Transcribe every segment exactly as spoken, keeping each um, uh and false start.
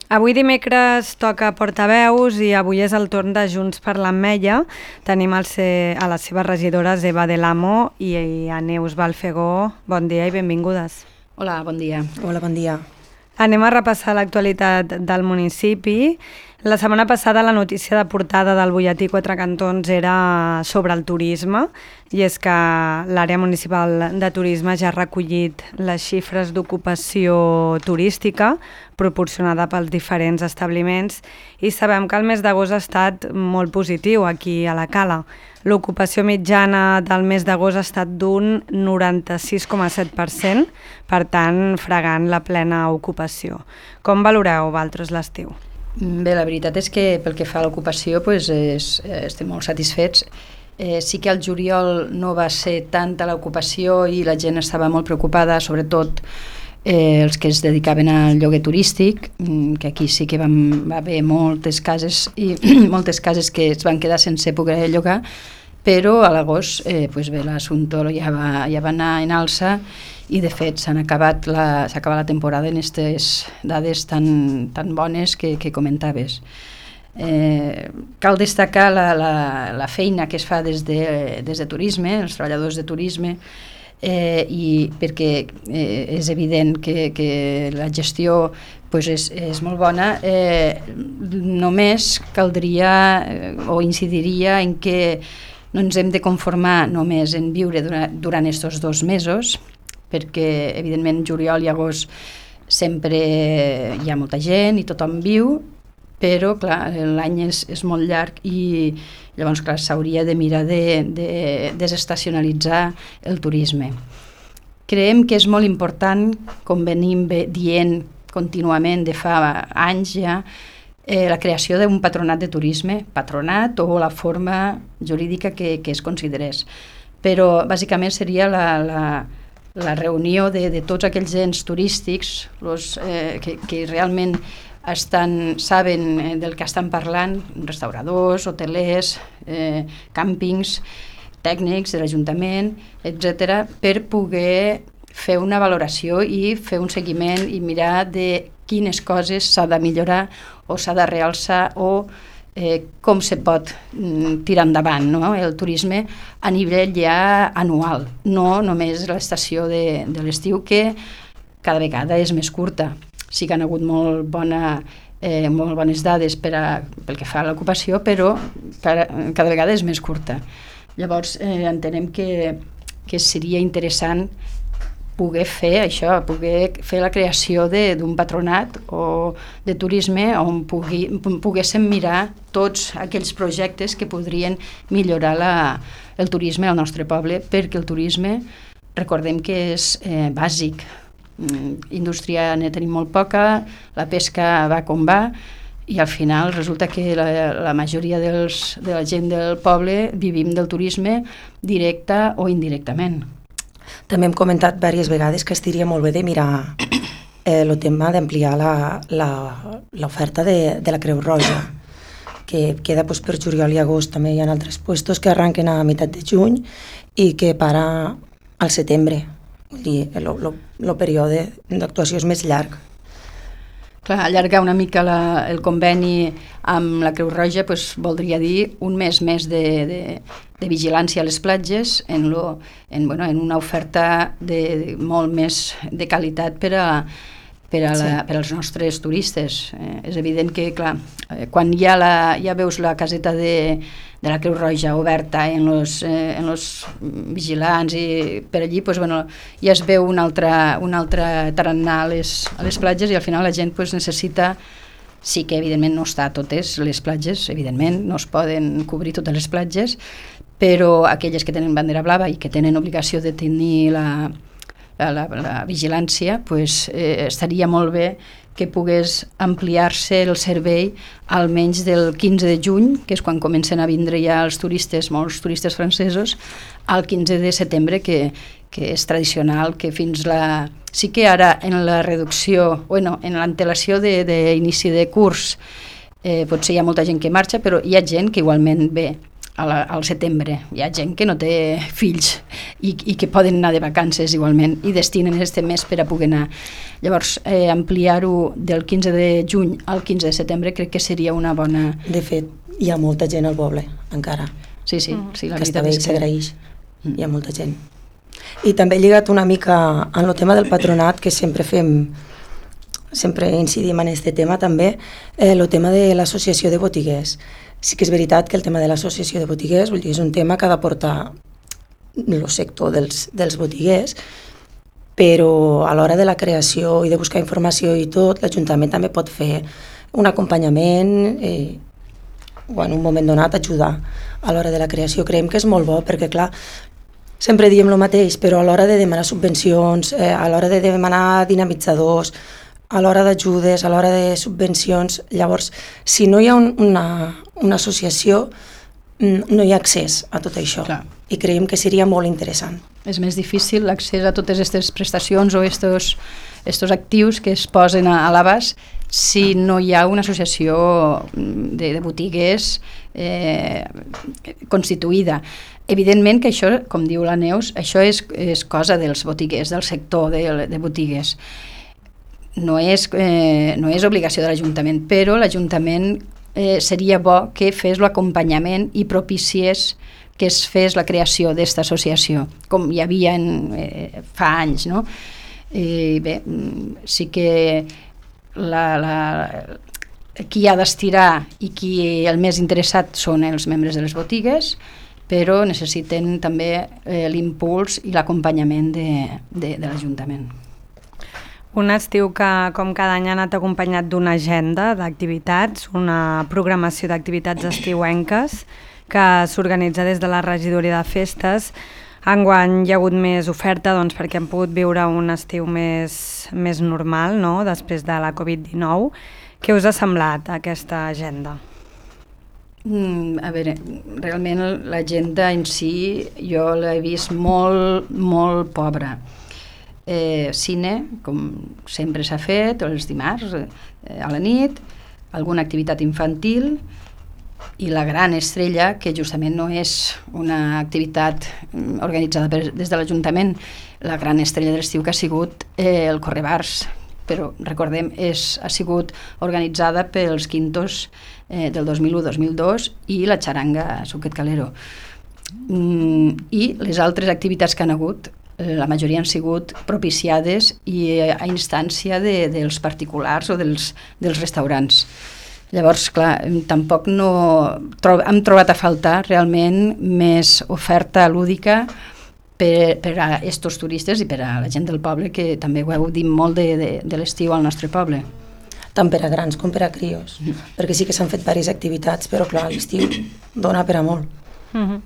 Avui dimecres toca portaveus i avui és el torn de Junts per l'Ametlla. Tenim el se, a les seves regidores Eva Del Amo i a Neus Balfegó. Bon dia i benvingudes. Hola, bon dia. Hola, bon dia. Anem a repassar l'actualitat del municipi. La setmana passada la notícia de portada del butlletí Quatre Cantons era sobre el turisme, i és que l'àrea municipal de turisme ja ha recollit les xifres d'ocupació turística proporcionada pels diferents establiments i sabem que el mes d'agost ha estat molt positiu aquí a la Cala. L'ocupació mitjana del mes d'agost ha estat d'un noranta-sis coma set per cent, per tant, fregant la plena ocupació. Com valoreu vosaltres l'estiu? Bé, la veritat és que pel que fa a l'ocupació pues, és, estem molt satisfets. Eh, sí que al juliol no va ser tanta l'ocupació i la gent estava molt preocupada, sobretot eh, els que es dedicaven al lloguer turístic, que aquí sí que vam, va haver moltes cases i moltes cases que es van quedar sense poder llogar, però a l'agost eh, pues bé, l'assumpte ja, va, ja va anar en alça i de fet s'han acabat la, s'ha acabat la temporada en aquestes dades tan, tan bones que, que comentaves. Eh, cal destacar la, la, la feina que es fa des de, des de turisme, els treballadors de turisme, eh, i perquè eh, és evident que, que la gestió pues és, és molt bona, eh, només caldria eh, o incidiria en que no ens hem de conformar només en viure durant, durant estos dos mesos, perquè evidentment juliol i agost sempre hi ha molta gent i tothom viu, però clar, l'any és, és molt llarg i llavors clar, s'hauria de mirar de, de desestacionalitzar el turisme. Creiem que és molt important, com venim dient contínuament de fa anys ja, eh, la creació d'un patronat de turisme, patronat o la forma jurídica que, que es considerés. Però bàsicament seria la, la, la reunió de, de tots aquells ens turístics los, eh, que, que realment estan, saben del que estan parlant, restauradors, hotelers, eh, càmpings, tècnics de l'Ajuntament, etcètera, per poder fer una valoració i fer un seguiment i mirar de quines coses s'ha de millorar o s'ha de realçar o eh, com se pot mm, tirar endavant, no? El turisme a nivell ja anual, no només l'estació de, de l'estiu, que cada vegada és més curta. Sí que han hagut molt, bona, eh, molt bones dades per a, pel que fa a l'ocupació, però cada, cada vegada és més curta. Llavors eh, entenem que, que seria interessant poder fer això, poder fer la creació d'un patronat o de turisme on pugui, poguéssim mirar tots aquells projectes que podrien millorar la, el turisme al nostre poble, perquè el turisme, recordem que és eh, bàsic. Indústria ne tenim molt poca, la pesca va com va i al final resulta que la, la majoria dels, de la gent del poble vivim del turisme directe o indirectament. També hem comentat diverses vegades que estiria molt bé de mirar el eh, tema d'ampliar l'oferta de, de la Creu Roja, que queda pues, per juliol i agost. També hi ha altres puestos que arranquen a meitat de juny i que para al setembre. Vull dir, el període d'actuació és més llarg. Clar, allargar una mica la, el conveni amb la Creu Roja pues, voldria dir un mes més de, de, de vigilància a les platges en, lo, en, bueno, en una oferta de, de molt més de qualitat per a, per a la, sí. per als nostres turistes. Eh, és evident que, clar, eh, quan ja, la, ja veus la caseta de, de la Creu Roja oberta en los, eh, en los vigilants i per allí, pues, bueno, ja es veu un altre, un altre tarannà a les, a les platges i al final la gent pues, necessita, sí que evidentment no està a totes les platges, evidentment no es poden cobrir totes les platges, però aquelles que tenen bandera blava i que tenen obligació de tenir la La, la, la vigilància, pues, eh, estaria molt bé que pogués ampliar-se el servei almenys del quinze de juny, que és quan comencen a vindre ja els turistes, molts turistes francesos, al quinze de setembre, que, que és tradicional, que fins la... Sí que ara en la reducció, bueno, en l'antelació d'inici de, de curs, eh, potser hi ha molta gent que marxa, però hi ha gent que igualment ve a la, al setembre. Hi ha gent que no té fills i, i que poden anar de vacances igualment i destinen este mes per a poder anar. Llavors, eh, ampliar-ho del quinze de juny al quinze de setembre crec que seria una bona... De fet, hi ha molta gent al poble, encara. Sí, sí, mm. sí la que veritat està bé, és que... s'agraeix. Mm. Hi ha molta gent. I també lligat una mica en el tema del patronat, que sempre fem, sempre incidim en aquest tema també, eh, el tema de l'associació de botiguers. Sí que és veritat que el tema de l'associació de botiguers, vull dir, és un tema que ha de portar el sector dels, dels botiguers, però a l'hora de la creació i de buscar informació i tot, l'Ajuntament també pot fer un acompanyament eh, o en un moment donat ajudar a l'hora de la creació. Creiem que és molt bo perquè, clar, sempre diem el mateix, però a l'hora de demanar subvencions, eh, a l'hora de demanar dinamitzadors, a l'hora d'ajudes, a l'hora de subvencions, llavors, si no hi ha un, una, una associació, no hi ha accés a tot això. Clar. I creiem que seria molt interessant. És més difícil l'accés a totes aquestes prestacions o estos, estos actius que es posen a, a l'abast si no hi ha una associació de, de botigues eh, constituïda. Evidentment que això, com diu la Neus, això és, és cosa dels botiguers, del sector de, de botigues. No és, eh, no és obligació de l'Ajuntament, però l'Ajuntament eh, seria bo que fes l'acompanyament i propiciés que es fes la creació d'esta associació, com hi havia en, eh, fa anys, no? I bé, sí que la, la, qui ha d'estirar i qui el més interessat són els membres de les botigues, però necessiten també eh, l'impuls i l'acompanyament de, de, de l'Ajuntament. Un estiu que, com cada any, ha anat acompanyat d'una agenda d'activitats, una programació d'activitats estiuenques que s'organitza des de la regidoria de festes. Enguany hi ha hagut més oferta doncs, perquè hem pogut viure un estiu més, més normal, no?, després de la covid dinou. Què us ha semblat aquesta agenda? Mm, a veure, realment l'agenda en si jo l'he vist molt, molt pobra. Eh, cine, com sempre s'ha fet, els dimarts eh, a la nit, alguna activitat infantil i la gran estrella, que justament no és una activitat organitzada per, des de l'Ajuntament, la gran estrella de l'estiu que ha sigut eh, el Correbars, però recordem, és, ha sigut organitzada pels quintos eh, del dos mil u dos mil dos i la xaranga Suquet Calero. Mm, I les altres activitats que han hagut, la majoria han sigut propiciades i a instància de, dels particulars o dels, dels restaurants. Llavors, clar, tampoc no... Trob, hem trobat a faltar realment més oferta lúdica per, per a estos turistes i per a la gent del poble, que també ho heu dit molt de, de, de l'estiu al nostre poble. Tant per a grans com per a crios, mm. perquè sí que s'han fet diverses activitats, però clar, l'estiu dona per a molt. Mm-hmm.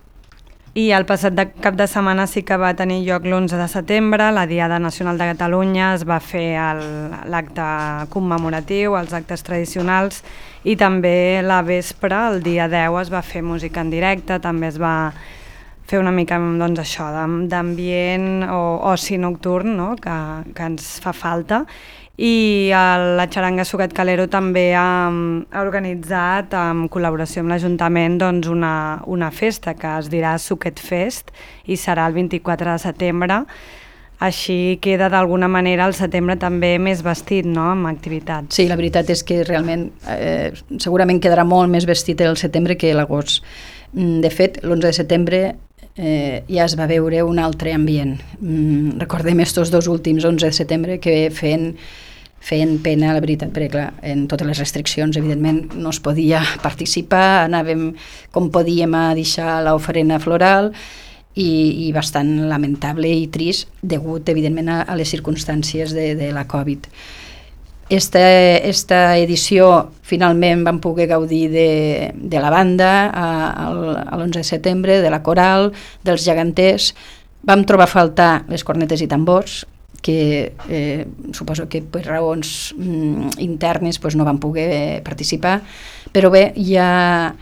I el passat de cap de setmana sí que va tenir lloc l'onze de setembre, la Diada Nacional de Catalunya, es va fer l'acte commemoratiu, els actes tradicionals, i també la vespre, el dia deu, es va fer música en directe, també es va fer una mica doncs, això, d'ambient o oci nocturn, no?, que, que ens fa falta. I la xaranga Suquet Calero també ha, ha organitzat, en col·laboració amb l'Ajuntament, doncs una, una festa que es dirà Suquet Fest i serà el vint-i-quatre de setembre. Així queda d'alguna manera el setembre també més vestit, no?, amb activitats. Sí, la veritat és que realment eh, segurament quedarà molt més vestit el setembre que l'agost. De fet, l'onze de setembre eh, ja es va veure un altre ambient. Mm, recordem estos dos últims onze de setembre que feien feien pena, la veritat, perquè clar, en totes les restriccions, evidentment, no es podia participar, anàvem com podíem a deixar l'oferenda floral i, i bastant lamentable i trist, degut, evidentment, a, a les circumstàncies de, de la Covid. Esta, esta edició, finalment, vam poder gaudir de, de la banda a, a l'onze de setembre, de la coral, dels geganters. Vam trobar a faltar les cornetes i tambors, que eh, suposo que per raons mm, internes pues, no van poder participar, però bé, ja,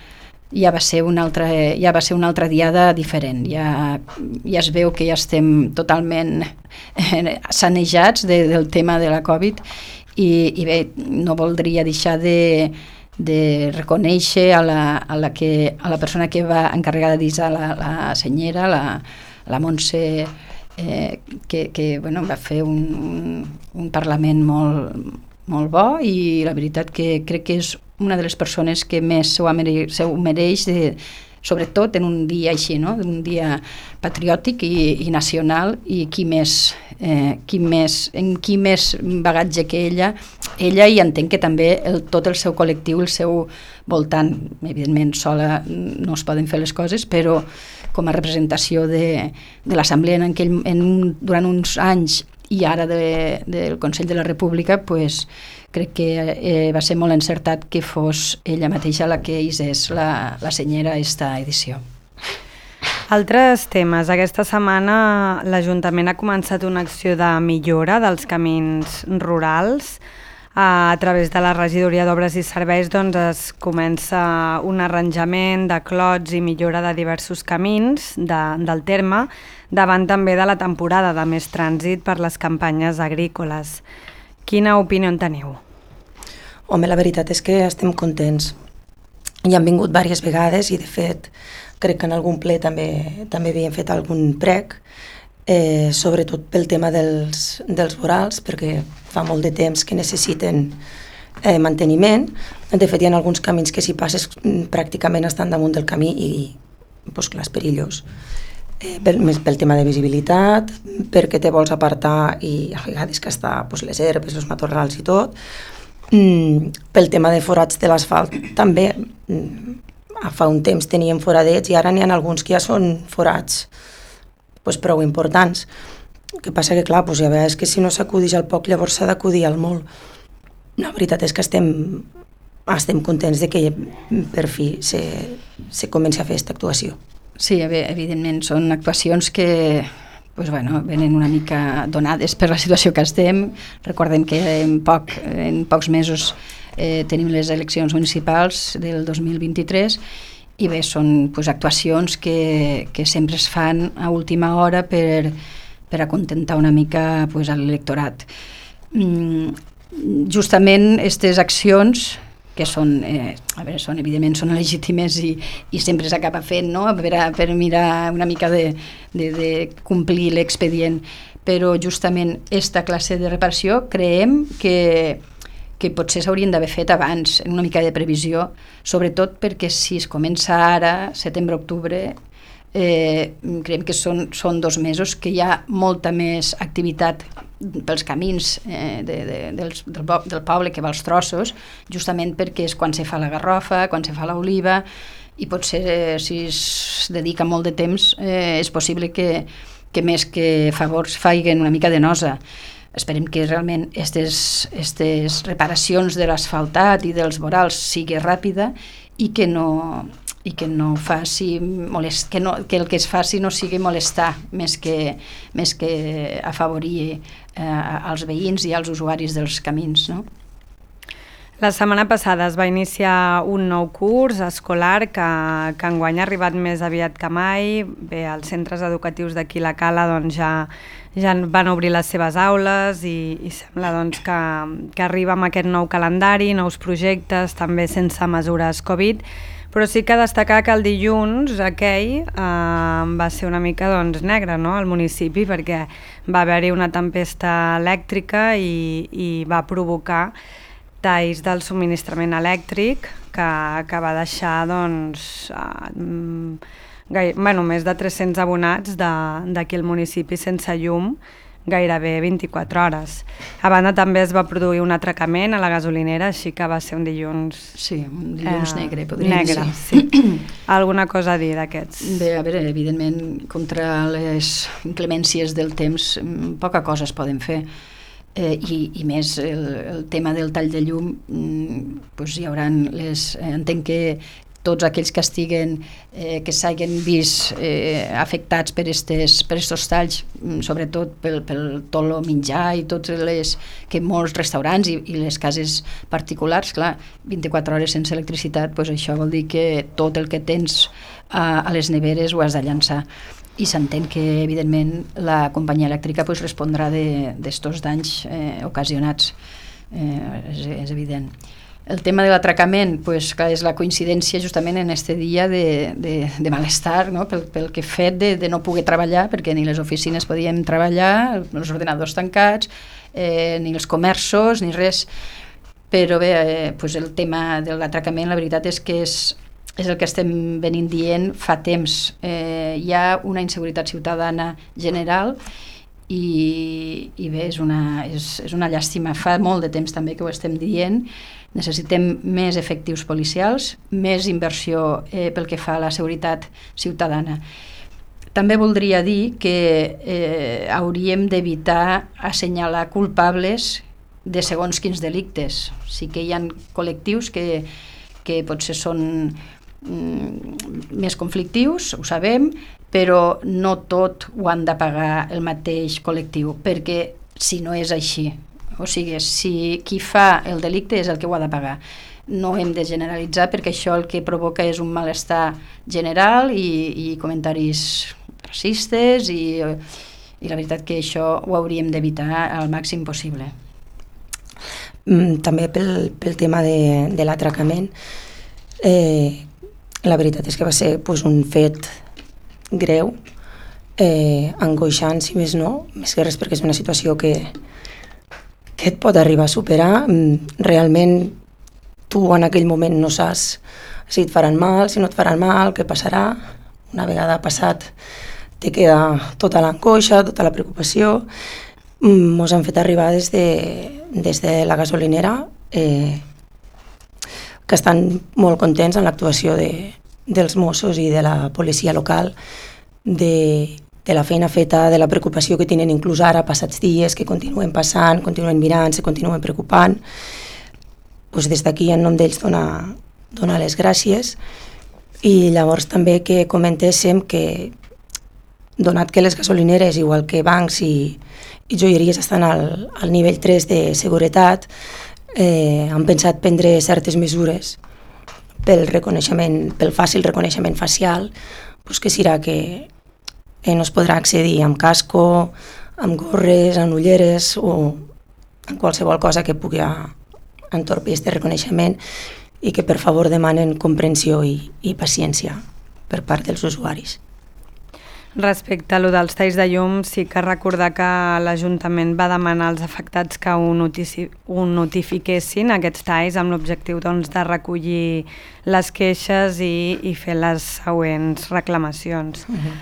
ja, va ser una altra, ja va ser una altra diada diferent, ja, ja es veu que ja estem totalment eh, sanejats de, del tema de la Covid i, i bé, no voldria deixar de, de reconèixer a la, a la, que, a la persona que va encarregada de disar la, la senyera, la, la Montse, eh, que, que bueno, va fer un, un, un parlament molt, molt bo, i la veritat que crec que és una de les persones que més s'ho mereix, s'ho mereix de, sobretot en un dia així, no? Un dia patriòtic i, i nacional, i qui més, eh, qui més, en qui més bagatge que ella, ella i entenc que també el, tot el seu col·lectiu, el seu voltant, evidentment sola no es poden fer les coses, però com a representació de, de l'Assemblea en aquell, en un, durant uns anys, i ara de, del Consell de la República, pues, crec que eh, va ser molt encertat que fos ella mateixa la que hisés la, la senyera a esta edició. Altres temes. Aquesta setmana l'Ajuntament ha començat una acció de millora dels camins rurals. A través de la Regidoria d'Obres i Serveis doncs, es comença un arranjament de clots i millora de diversos camins de, del terme, davant també de la temporada de més trànsit per les campanyes agrícoles. Quina opinió en teniu? Home, la veritat és que estem contents. Hi han vingut diverses vegades i, de fet, crec que en algun ple també, també havien fet algun prec, eh, sobretot pel tema dels, dels vorals, perquè fa molt de temps que necessiten eh, manteniment. De fet, hi ha alguns camins que si passes pràcticament estan damunt del camí i, doncs clar, és perillós. Eh, pel, més pel tema de visibilitat, perquè te vols apartar i a vegades que està doncs, les herbes, els matorrals i tot. Mm, pel tema de forats de l'asfalt també. Mm, fa un temps tenien foradets i ara n'hi ha alguns que ja són forats doncs, prou importants. El que passa que, clar, doncs, ja veus que si no s'acudix al poc, llavors s'ha d'acudir al molt. La veritat és que estem, estem contents de que per fi se, se comenci a fer aquesta actuació. Sí, evidentment, són actuacions que pues, bueno, venen una mica donades per la situació que estem. Recordem que en, poc, en pocs mesos eh, tenim les eleccions municipals del dos mil vint-i-tres i bé, són pues, actuacions que, que sempre es fan a última hora per, per acontentar una mica pues, a l'electorat. Mm, justament aquestes accions que són, eh, a veure, són, evidentment són legítimes i, i sempre s'acaba fent, no? per, a, per mirar una mica de, de, de complir l'expedient, però justament aquesta classe de reparació creiem que, que potser s'haurien d'haver fet abans, en una mica de previsió, sobretot perquè si es comença ara, setembre-octubre, eh, creiem que són, són dos mesos que hi ha molta més activitat pels camins eh, de, de, dels, del, del poble que va als trossos, justament perquè és quan se fa la garrofa, quan se fa l'oliva, i potser eh, si es dedica molt de temps eh, és possible que, que més que favors faiguen una mica de nosa. Esperem que realment aquestes reparacions de l'asfaltat i dels vorals sigui ràpida i que no, i que no faci molest, que, no, que el que es faci no sigui molestar més que, més que afavorir eh, als veïns i als usuaris dels camins, no? La setmana passada es va iniciar un nou curs escolar que, que enguany ha arribat més aviat que mai. Bé, els centres educatius d'aquí la Cala doncs, ja, ja van obrir les seves aules i, i sembla doncs, que, que arriba amb aquest nou calendari, nous projectes, també sense mesures Covid, però sí que destacar que el dilluns aquell eh, va ser una mica doncs, negre, no?, al municipi, perquè va haver-hi una tempesta elèctrica i, i va provocar talls del subministrament elèctric que, que va deixar doncs, uh, gai, bueno, més de tres-cents abonats d'aquí al municipi sense llum gairebé vint-i-quatre hores. A banda també es va produir un atracament a la gasolinera, així que va ser un dilluns... Sí, un dilluns eh, negre, podríem negre, dir. Sí. Alguna cosa a dir d'aquests? Bé, a veure, evidentment, contra les inclemències del temps, poca cosa es poden fer. Eh, i, i més el, el tema del tall de llum, doncs hi haurà les... Eh, entenc que tots aquells que estiguen, eh, que s'hagin vist eh, afectats per estos per estos talls, sobretot pel, pel tot el menjar i tots les... que molts restaurants i, i les cases particulars, clar, vint-i-quatre hores sense electricitat, doncs això vol dir que tot el que tens a, a les neveres ho has de llançar. I s'entén que, evidentment, la companyia elèctrica pues, respondrà d'estos danys eh, ocasionats, eh, és, és evident. El tema de l'atracament, pues, clar, és la coincidència justament en este dia de, de, de malestar, no? pel, pel que fet de, de no poder treballar, perquè ni les oficines podíem treballar, els ordenadors tancats, eh, ni els comerços, ni res. Però bé, eh, pues el tema de l'atracament, la veritat és que és, és el que estem venint dient fa temps. Eh, hi ha una inseguretat ciutadana general i, i bé, és una, és, és una llàstima. Fa molt de temps també que ho estem dient. Necessitem més efectius policials, més inversió eh, pel que fa a la seguretat ciutadana. També voldria dir que eh, hauríem d'evitar assenyalar culpables de segons quins delictes. Sí que hi ha col·lectius que, que potser són mm, més conflictius, ho sabem, però no tot ho han de pagar el mateix col·lectiu, perquè si no és així, o sigui, si qui fa el delicte és el que ho ha de pagar. No hem de generalitzar perquè això el que provoca és un malestar general i, i comentaris racistes i, i la veritat que això ho hauríem d'evitar al màxim possible. També pel, pel tema de, de l'atracament, eh, la veritat és que va ser pues, un fet greu, eh, angoixant, si més no, més que res perquè és una situació que que et pot arribar a superar. Realment tu en aquell moment no saps si et faran mal, si no et faran mal, què passarà. Una vegada passat te queda tota l'angoixa, tota la preocupació. Mos han fet arribar des de, des de la gasolinera eh, que estan molt contents amb l'actuació de, dels Mossos i de la policia local, de de la feina feta, de la preocupació que tenen inclús ara, passats dies, que continuen passant, continuen mirant, se continuen preocupant. Pues des d'aquí, en nom d'ells, donar, donar les gràcies. I llavors també que comentéssim que, donat que les gasolineres, igual que bancs i, i joieries, estan al, al nivell tres de seguretat, eh, han pensat prendre certes mesures pel reconeixement, pel fàcil reconeixement facial, pues que serà que Eh, no es podrà accedir amb casco, amb gorres, amb ulleres o amb qualsevol cosa que pugui entorpir aquest reconeixement i que per favor demanen comprensió i, i paciència per part dels usuaris. Respecte a lo dels talls de llum, sí que recordar que l'Ajuntament va demanar als afectats que ho, notici, ho notifiquessin, aquests talls, amb l'objectiu doncs, de recollir les queixes i, i fer les següents reclamacions. Uh-huh.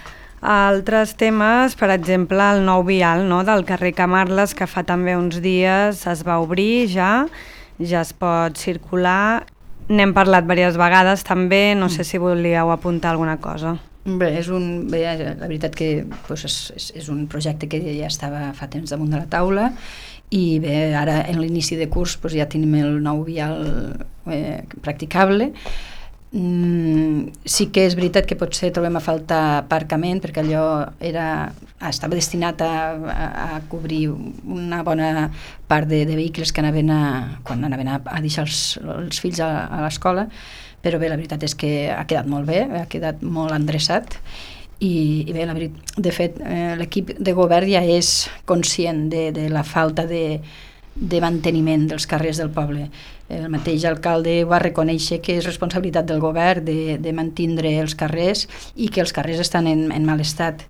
Altres temes, per exemple, el nou vial, no?, del carrer Camarles, que fa també uns dies es va obrir ja, ja es pot circular. N'hem parlat diverses vegades també, no sé si volíeu apuntar alguna cosa. Bé, és un, bé, la veritat que pues, és, és un projecte que ja estava fa temps damunt de la taula i bé, ara en l'inici de curs pues, ja tenim el nou vial eh, practicable. Mm, sí que és veritat que potser trobem a faltar aparcament perquè allò era, estava destinat a, a, a cobrir una bona part de, de vehicles que anaven a, quan anaven a, a deixar els, els fills a, a l'escola, però bé, la veritat és que ha quedat molt bé, ha quedat molt endreçat i, i bé, la veritat, de fet eh, l'equip de govern ja és conscient de, de la falta de de manteniment dels carrers del poble. El mateix alcalde va reconèixer que és responsabilitat del govern de, de mantindre els carrers i que els carrers estan en, en mal estat.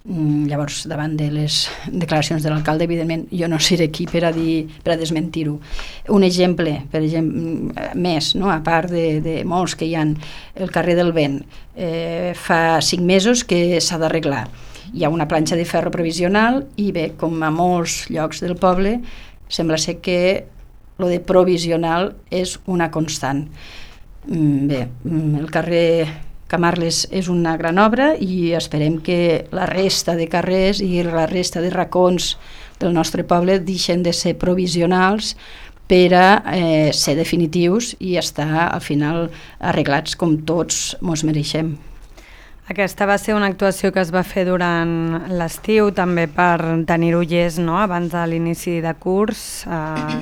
Llavors, davant de les declaracions de l'alcalde, evidentment, jo no seré aquí per a, dir, per a desmentir-ho. Un exemple, per exemple, més, no? A part de, de molts que hi ha, el carrer del Vent, eh, fa cinc mesos que s'ha d'arreglar. Hi ha una planxa de ferro provisional i bé, com a molts llocs del poble, sembla ser que lo de provisional és una constant. Bé, el carrer Camarles és una gran obra i esperem que la resta de carrers i la resta de racons del nostre poble deixen de ser provisionals per a eh, ser definitius i estar al final arreglats com tots mos mereixem. Aquesta va ser una actuació que es va fer durant l'estiu, també per tenir-ho llest, no?, abans de l'inici de curs, eh,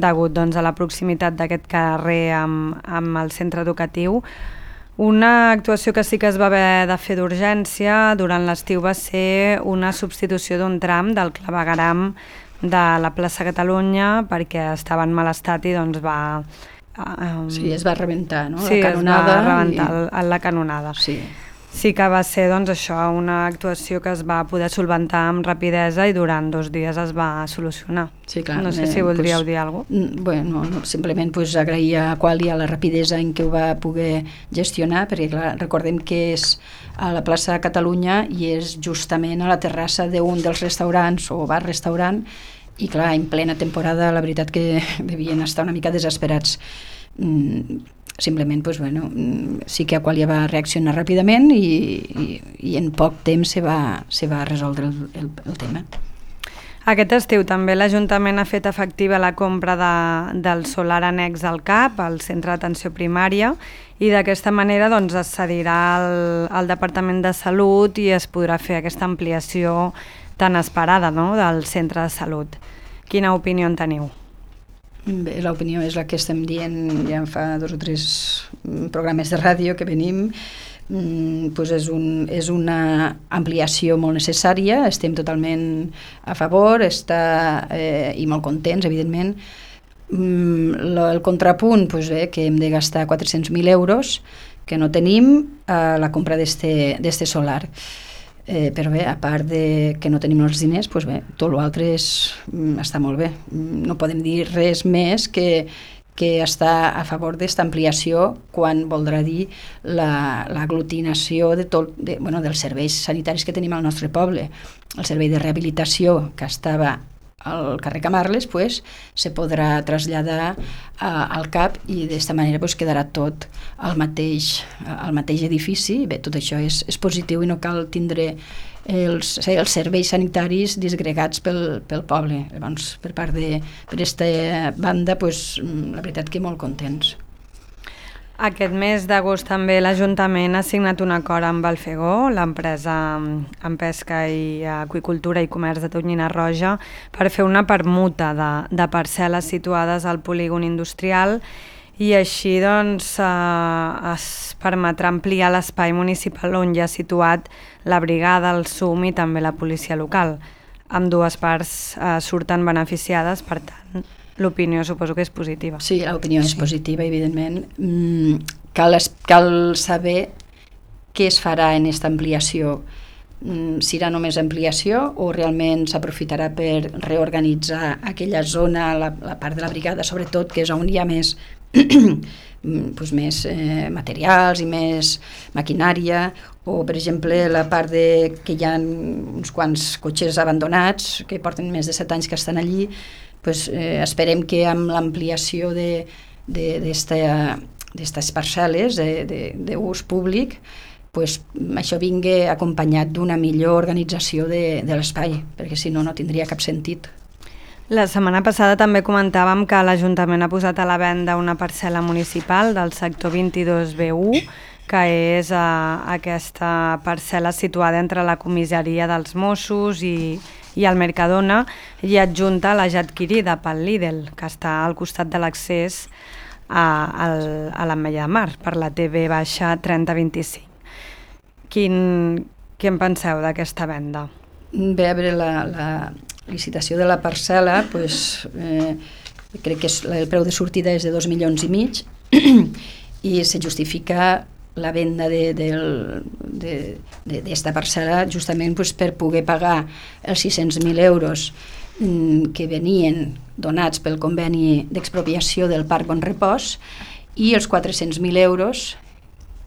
degut doncs, a la proximitat d'aquest carrer amb, amb el centre educatiu. Una actuació que sí que es va haver de fer d'urgència durant l'estiu va ser una substitució d'un tram del clavegueram de la plaça Catalunya perquè estava en mal estat i doncs, va Um, sí, es va rebentar, no? Sí, la canonada. es va rebentar I... el, la canonada. Sí. Sí que va ser doncs, això, una actuació que es va poder solventar amb rapidesa i durant dos dies es va solucionar. Sí, clar, no sé si eh, voldríeu pues, dir alguna cosa. Bueno, no, simplement pues, agrair a Qualia la rapidesa en què ho va poder gestionar, perquè clar, recordem que és a la plaça de Catalunya i és justament a la terrassa d'un dels restaurants o bar-restaurant, i clar, en plena temporada la veritat que devien estar una mica desesperats. Mm, simplement pues, bueno, sí que Aqualia va reaccionar ràpidament i, i, i en poc temps se va, se va resoldre el, el, el tema. Aquest estiu també l'Ajuntament ha fet efectiva la compra de, del solar annex al C A P, al Centre d'Atenció Primària, i d'aquesta manera doncs, es cedirà al, al Departament de Salut i es podrà fer aquesta ampliació tan esperada, no?, del centre de salut. Quina opinió en teniu? Bé, l'opinió és la que estem dient ja fa dos o tres programes de ràdio que venim. Mm, pues és, un, és una ampliació molt necessària, estem totalment a favor, està, eh, i molt contents, evidentment. Mm, lo, el contrapunt, pues bé, que hem de gastar quatre-cents mil euros, que no tenim, a la compra d'este solar. Eh, però bé, a part de que no tenim els diners, doncs bé, tot l'altre està molt bé. No podem dir res més que, que està a favor d'esta ampliació quan voldrà dir l'aglutinació la, de tot, de, bueno, dels serveis sanitaris que tenim al nostre poble. El servei de rehabilitació que estava al carrer Camarles pues, se podrà traslladar a, al C A P i d'esta manera pues, quedarà tot al mateix, al mateix edifici. Bé, tot això és, és positiu i no cal tindre els, els serveis sanitaris disgregats pel, pel poble. Llavors, per part de per aquesta banda, pues, la veritat que molt contents. Aquest mes d'agost també l'Ajuntament ha signat un acord amb Alfegó, l'empresa en pesca i aqüicultura i comerç de Tonyina Roja, per fer una permuta de, de parcel·les situades al polígon industrial i així doncs, eh, es permetrà ampliar l'espai municipal on ja ha situat la brigada, el S U M i també la policia local. Ambdues parts eh, surten beneficiades, per tant, l'opinió suposo que és positiva. Sí, l'opinió és positiva, evidentment. Mm, cal, cal saber què es farà en aquesta ampliació. Mm, serà només ampliació o realment s'aprofitarà per reorganitzar aquella zona, la, la part de la brigada, sobretot, que és on hi ha més, pues més eh, materials i més maquinària, o, per exemple, la part de, que hi ha uns quants cotxes abandonats que porten més de set anys que estan allí. Pues, eh, esperem que amb l'ampliació d'aquestes parcel·les d'ús públic, pues, això vingui acompanyat d'una millor organització de, de l'espai, perquè si no, no tindria cap sentit. La setmana passada també comentàvem que l'Ajuntament ha posat a la venda una parcel·la municipal del sector vint-i-dos B u, que és eh, aquesta parcel·la situada entre la comissaria dels Mossos i i el Mercadona, i adjunta a la ja adquirida pel Lidl, que està al costat de l'accés a, a, a l'Ametlla de Mar, per la T V trenta vint-i-cinc. Quin, què en penseu d'aquesta venda? Bé, a veure, la, la licitació de la parcel·la, pues, eh, crec que és, el preu de sortida és de dos milions i mig i se justifica la venda d'esta parcel·la justament pues, per poder pagar els sis-cents mil euros mm, que venien donats pel conveni d'expropiació del Parc Bon Repòs i els quatre-cents mil euros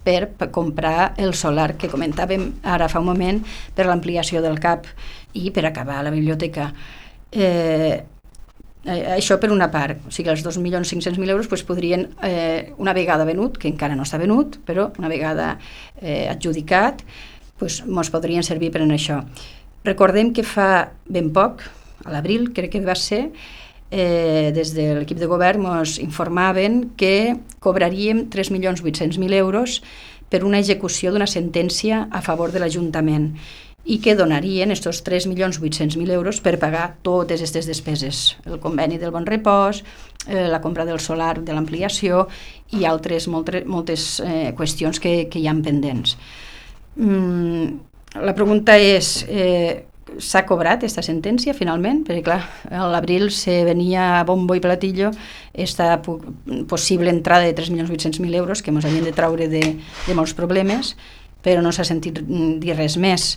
per comprar el solar que comentàvem ara fa un moment per l'ampliació del C A P i per acabar la biblioteca. Eh, Això per una part, o sigui, els dos milions cinc-cents mil euros pues, podrien, eh, una vegada venut, que encara no està venut, però una vegada eh, adjudicat, pues, ens podrien servir per a això. Recordem que fa ben poc, a l'abril crec que va ser, eh, des de l'equip de govern ens informaven que cobraríem tres milions vuit-cents mil euros per una execució d'una sentència a favor de l'Ajuntament i que donarien aquests tres milions vuit-cents mil euros per pagar totes aquestes despeses, el conveni del Bon Repòs, eh, la compra del solar de l'ampliació i altres moltes, moltes eh, qüestions que, que hi ha pendents. Mm, la pregunta és, eh, s'ha cobrat aquesta sentència finalment, perquè clar, a l'abril se venia a bombo i platillo esta possible entrada de tres milions vuit-cents mil euros que ens havien de traure de, de molts problemes, però no s'ha sentit dir res més.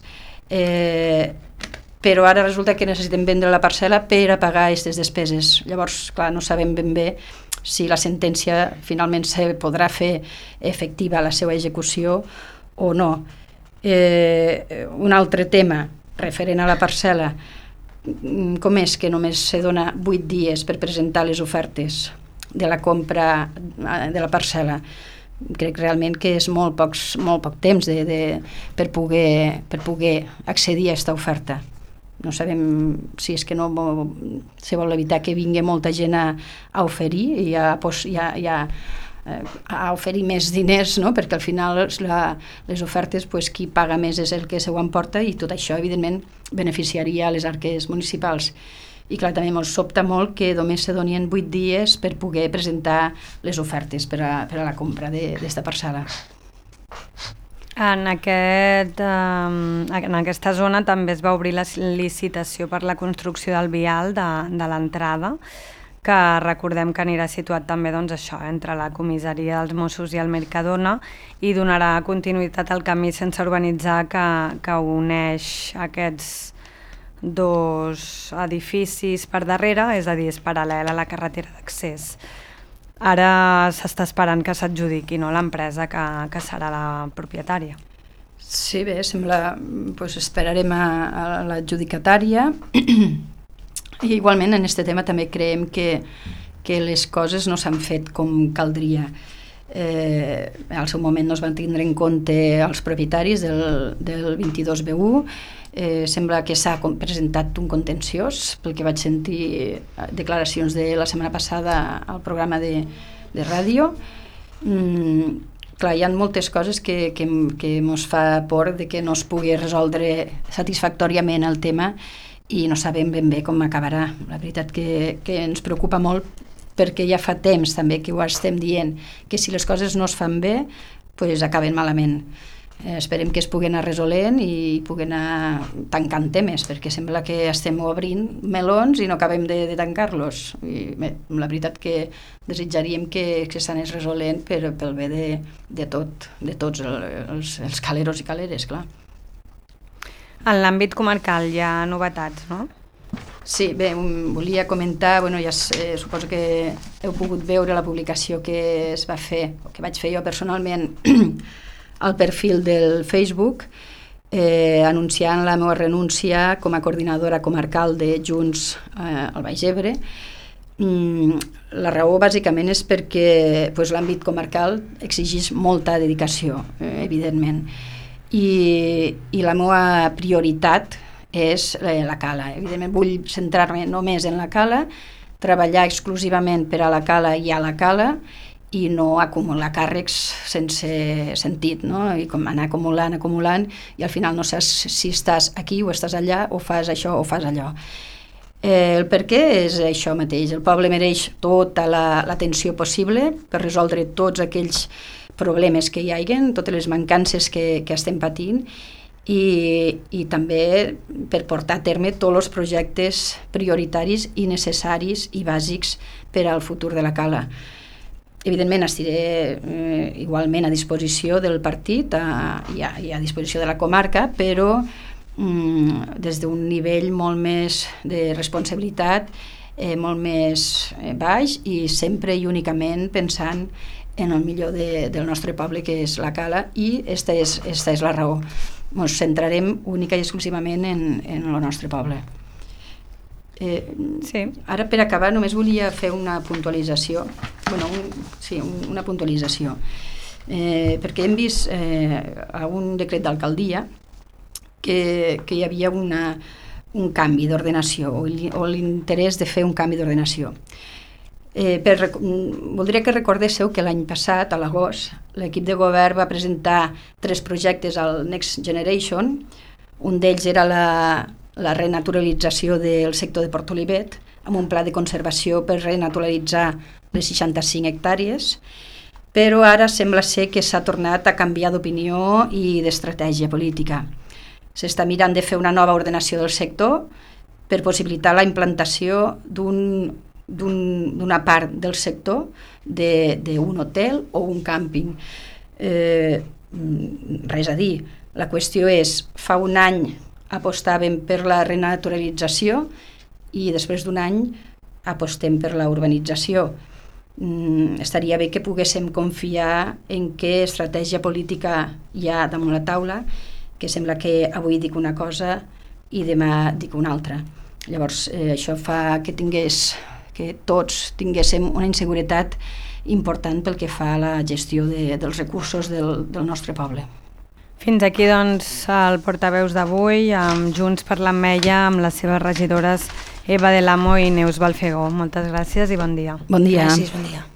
Eh, però ara resulta que necessitem vendre la parcel·la per a pagar aquestes despeses. Llavors, clar, no sabem ben bé si la sentència finalment se podrà fer efectiva la seva execució o no. Eh, un altre tema referent a la parcel·la, com és que només se dona vuit dies per presentar les ofertes de la compra de la parcel·la? Crec realment que és molt, pocs, molt poc temps de, de, per, poder, per poder accedir a aquesta oferta. No sabem si és que no se vol evitar que vingui molta gent a, a oferir i a, i a, i a a oferir més diners, no? Perquè al final la, les ofertes, pues, qui paga més és el que se ho emporta i tot això evidentment beneficiaria a les arques municipals. I clar, també ens sobta molt que només se donien vuit dies per poder presentar les ofertes per a, per a la compra d'esta parcel·la. En, aquest, eh, en aquesta zona també es va obrir la licitació per la construcció del vial de, de l'entrada, que recordem que anirà situat també doncs, això, entre la comissaria dels Mossos i el Mercadona i donarà continuïtat al camí sense urbanitzar que, que uneix aquests dos edificis per darrere, és a dir, és paral·lel a la carretera d'accés. Ara s'està esperant que s'adjudiqui, no, l'empresa que, que serà la propietària. Sí, bé, sembla, doncs esperarem a, a l'adjudicatària. I igualment en aquest tema també creiem que, que les coses no s'han fet com caldria. Eh, al seu moment no es van tindre en compte els propietaris del, del vint-i-dos B u, eh, sembla que s'ha presentat un contenciós, pel que vaig sentir declaracions de la setmana passada al programa de, de ràdio. Mm, clar, hi ha moltes coses que, que, que mos fa por de que no es pugui resoldre satisfactòriament el tema i no sabem ben bé com acabarà. La veritat que, que ens preocupa molt perquè ja fa temps també que ho estem dient, que si les coses no es fan bé, pues acaben malament. Eh, esperem que es pugui anar resolent i pugui anar tancant temes, perquè sembla que estem obrint melons i no acabem de, de tancar-los. I bé, la veritat que desitjaríem que, que s'anés resolent per, pel bé de, de tot, de tots els, els caleros i caleres, clar. En l'àmbit comarcal hi ha novetats, no? Sí, bé, um, volia comentar, bueno, ja eh, suposo que heu pogut veure la publicació que es va fer, o que vaig fer jo personalment al perfil del Facebook, eh, anunciant la meva renúncia com a coordinadora comarcal de Junts eh, al Baix Ebre. Mm, la raó bàsicament és perquè pues, l'àmbit comarcal exigeix molta dedicació, eh, evidentment. I, i la meva prioritat és la cala. Evidentment vull centrar-me només en la cala, treballar exclusivament per a la cala i a la cala i no acumular càrrecs sense sentit, no? I com anar acumulant, acumulant i al final no saps si estàs aquí o estàs allà o fas això o fas allò. Eh, el per què és això mateix. El poble mereix tota l'atenció possible per resoldre tots aquells problemes que hi hagin, totes les mancances que, que estem patint i, i també per portar a terme tots els projectes prioritaris i necessaris i bàsics per al futur de la cala. Evidentment estiré eh, igualment a disposició del partit a, i, a, i a disposició de la comarca, però mm, des d'un nivell molt més de responsabilitat, eh, molt més eh, baix i sempre i únicament pensant en el millor de, del nostre poble, que és la cala, i esta és, esta és la raó. Ens centrarem única i exclusivament en, en el nostre poble. Eh, sí. Ara, per acabar, només volia fer una puntualització, bueno, un, sí, un, una puntualització, eh, perquè hem vist eh, a un decret d'alcaldia que, que hi havia una, un canvi d'ordenació o l'interès de fer un canvi d'ordenació. Eh, per, voldria que recordéssiu que l'any passat, a l'agost, l'equip de govern va presentar tres projectes al Next Generation. Un d'ells era la, la renaturalització del sector de Port Olivet, amb un pla de conservació per renaturalitzar les seixanta-cinc hectàrees, però ara sembla ser que s'ha tornat a canviar d'opinió i d'estratègia política. s'està mirant de fer una nova ordenació del sector per possibilitar la implantació d'un d'una un, part del sector d'un hotel o un càmping. Eh, res a dir, la qüestió és, fa un any apostàvem per la renaturalització i després d'un any apostem per la urbanització. Mm, estaria bé que poguéssim confiar en què estratègia política hi ha damunt la taula, que sembla que avui dic una cosa i demà dic una altra. Llavors, eh, això fa que tingués que tots tinguéssim una inseguretat important pel que fa a la gestió de, dels recursos del, del nostre poble. Fins aquí, doncs, el portaveus d'avui, amb Junts per l'Ametlla, amb les seves regidores Eva del Amo i Neus Balfegó. Moltes gràcies i bon dia. Bon dia. Gràcies, bon dia.